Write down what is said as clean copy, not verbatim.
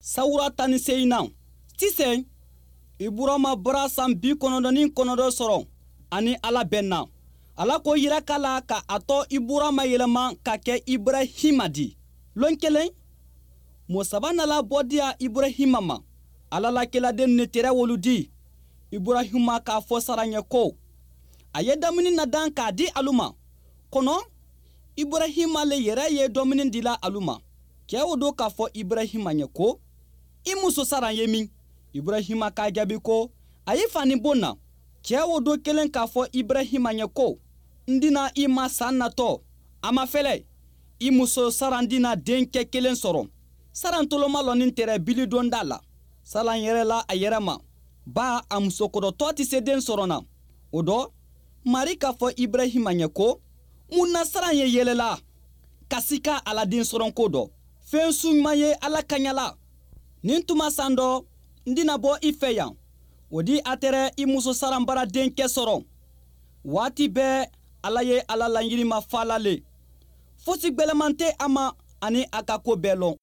Sawura 18nan sisan iburama bara san 99 sɔrɔ ani Ala bɛnna. Ala ko yiraka la ka a tɔ Iburama yɛlɛma ka kɛ Iburahima di. Lon kelen, mɔɔ saba nala bɔ diya Iburahima ma. Ala la keladen ne tɛrɛ wolu di. Iburahima k'a fɔ Saran ye ko, a ye dumuni nadan k'a di alu ma. Kɔnɔ, Iburahima le yɛrɛ ye dumuni dila alu ma. Cɛ o do k'a fɔ Iburahima ye ko, i muso Saran ye min? Iburahima k'a jaabi ko, a ye fani bon na. Cɛ o do kelen k'a fɔ Iburahima ye ko, n dina i ma san natɔ, a mafɛlɛ, i muso Saran dina denkɛ kelen sɔrɔ. Saran toloma lɔnin tɛrɛ bilidonda la. Saran yɛrɛla a yɛrɛ ma, ba a musokɔrɔtɔ tɛ se den sɔrɔ na. O dɔ, Mari k'a fɔ Iburahima ye ko, mun na Saran ye yɛlɛla ka sika a la den sɔrɔ ko dɔ? Fɛn su ɲuman ye Ala kaɲa la. Nin tuma san dɔ, n dina bɔ i fɛ yan. O di a tɛrɛ i muso Saran bara denkɛ sɔrɔ. Waati bɛɛ Ala ye a la laɲini mafala le. Fosi gbɛlɛman tɛ a ma ani a ka ko bɛɛ lɔn.